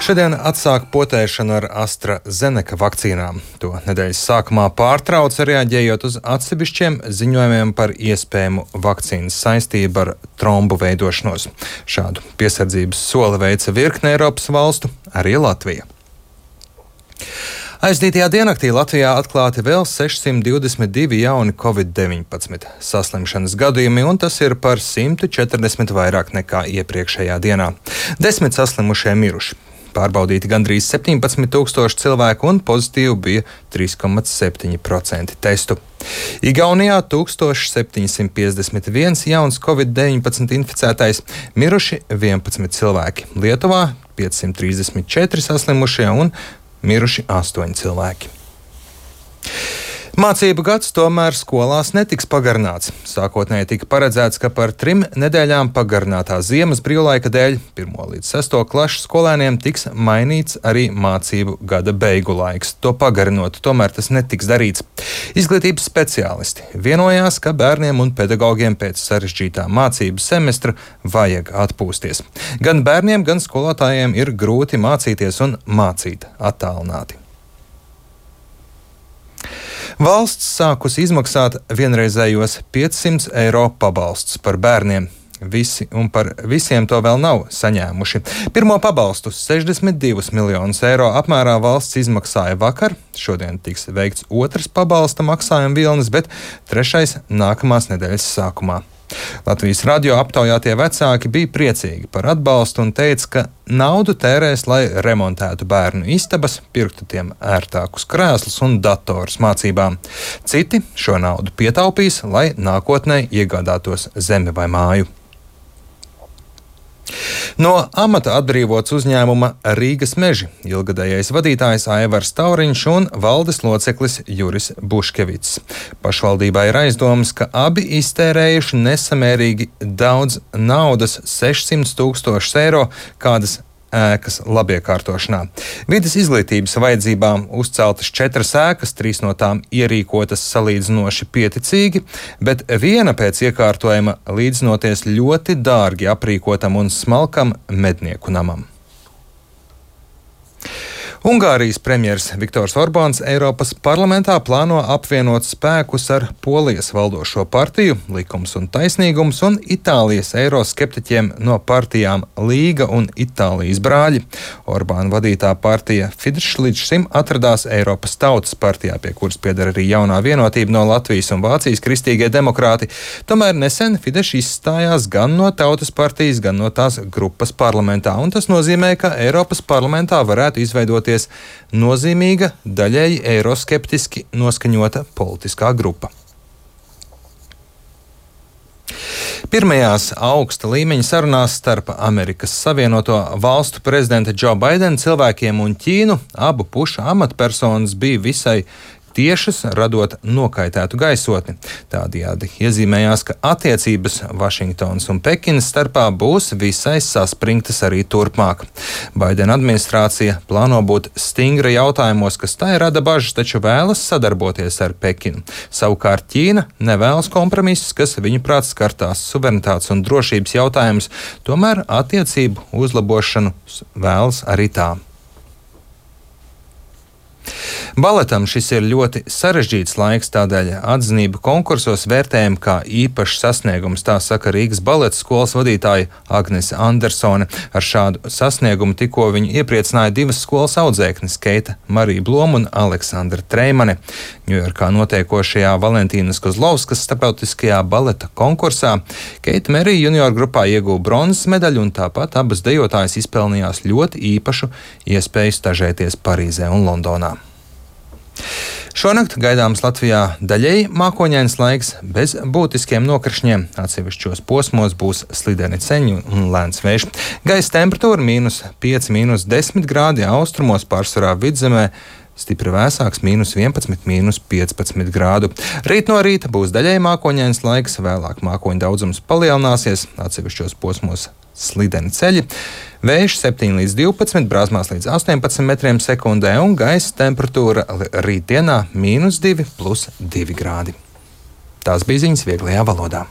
Šodien atsāk potēšanu ar AstraZeneca vakcīnām. To nedēļas sākumā pārtrauca, reaģējot uz atsevišķiem ziņojumiem par iespējamu vakcīnas saistību ar trombu veidošanos. Šādu piesardzības soli veica virkne Eiropas valstu, arī Latvija. Aizdītajā diennaktī Latvijā atklāti vēl 622 jauni Covid-19 saslimšanas gadījumi, un tas ir par 140 vairāk nekā iepriekšējā dienā. 10 saslimušie miruši. Pārbaudīti gandrīz 17,000 cilvēku, un pozitīvi bija 3,7% testu. Igaunijā 1751 jauns Covid-19 inficētais, miruši 11 cilvēki. Lietuvā 534 saslimušie un miruši 8 cilvēki. Mācību gads tomēr skolās netiks pagarināts. Sākotnēji tika paredzēts, ka par 3 nedēļām pagarinātā ziemas brīvlaika dēļ 1. līdz 6. klašu skolēniem tiks mainīts arī mācību gada beigu laiks. To pagarinot, tomēr tas netiks darīts. Izglītības speciālisti vienojās, ka bērniem un pedagogiem pēc sarežģītā mācību semestra vajag atpūsties. Gan bērniem, gan skolotājiem ir grūti mācīties un mācīt attālināti. Valsts sākusi izmaksāt vienreizējos 500 eiro pabalstus par bērniem. Par visiem to vēl nav saņēmuši. Pirmo pabalstu 62 miljonus eiro apmērā valsts izmaksāja vakar. Šodien tiks veikts otrs pabalsta maksājuma vilnis, bet trešais nākamās nedēļas sākumā. Latvijas radio aptaujātie vecāki bija priecīgi par atbalstu un teica, ka naudu tērēs, lai remontētu bērnu istabas, pirktu tiem ērtākus krēslus un datorus mācībām. Citi šo naudu pietaupīs, lai nākotnē iegādātos zemi vai māju. No amata atbrīvots uzņēmuma Rīgas meži ilgadējais vadītājs Aivars Tauriņš un valdes loceklis Juris Buškevits. Pašvaldībā ir aizdomas, ka abi iztērējuši nesamērīgi daudz naudas, 600 000 eiro, kādas ēkas labiekārtošanā. Vides izglītības vajadzībām uzceltas 4 ēkas, 3 no tām ierīkotas salīdzinoši pieticīgi, bet viena pēc iekārtojuma līdzinoties ļoti dārgi aprīkotam un smalkam mednieku namam. Ungārijas premjers Viktors Orbāns Eiropas parlamentā plāno apvienot spēkus ar Polijas valdošo partiju Likums un taisnīgums un Itālijas eiroskeptiķiem no partijām Līga un Itālijas brāļi. Orbāna vadītā partija Fidesz līdz šim atradās Eiropas Tautas partijā, pie kuras pieder arī jaunā vienotība no Latvijas un Vācijas kristīgie demokrāti. Tomēr nesen Fidesz izstājās gan no Tautas partijas, gan no tās grupas parlamentā, un tas nozīmē, ka Eiropas parlamentā varētu izveidoties nozīmīga, daļēji eiroskeptiski noskaņota politiskā grupa. Pirmajās augsta līmeņa sarunās starp Amerikas Savienoto Valstu prezidenta Džo Baidena cilvēkiem un Ķīnu abu pušu amatpersonas bija visai tiešas, radot nokaitētu gaisotni. Tādējādi iezīmējās, ka attiecības Vašingtonas un Pekinas starpā būs visai saspringtas arī turpmāk. Baidena administrācija plāno būt stingra jautājumos, kas tai rada bažas, taču vēlas sadarboties ar Pekinu. Savukārt Ķīna nevēlas kompromisus, kas viņuprāt skartās suverenitātes un drošības jautājumus, tomēr attiecību uzlabošanu vēlas arī tā. Baletam šis ir ļoti sarežģīts laiks, tādēļ atzinību konkursos vērtējam kā īpašs sasniegums, tā saka Rīgas baleta skolas vadītāja Agnese Andersone. Ar šādu sasniegumu tikko viņu iepriecināja 2 skolas audzēknes Keita Marija Bloma un Aleksandra Treimane. Ņujorkā notiekošajā Valentīnas Kozlovskas starptautiskajā baleta konkursā Keita Marija junior grupā ieguva bronzas medaļu, un tāpat abas dejotājas izpelnījās ļoti īpašu iespēju stažēties Parīzē un Londonā. Šonakt gaidāms Latvijā daļēji mākoņains laiks bez būtiskiem nokrišņiem. Atsevišķos posmos būs slideni ceļi un lēns vējš. Gaisa temperatūra -5, -10 grādi, austrumos pārsvarā vidzemē stipri vēsāks -11, -15 grādu. Rīt no rīta būs daļēji mākoņains laiks, vēlāk mākoņu daudzums palielināsies, atsevišķos posmos slideni ceļi. Vējš 7 līdz 12, brāzmās līdz 18 metriem sekundē un gaisa temperatūra rītdienā -2 + 2 grādi. Tās bija ziņas vieglajā valodā.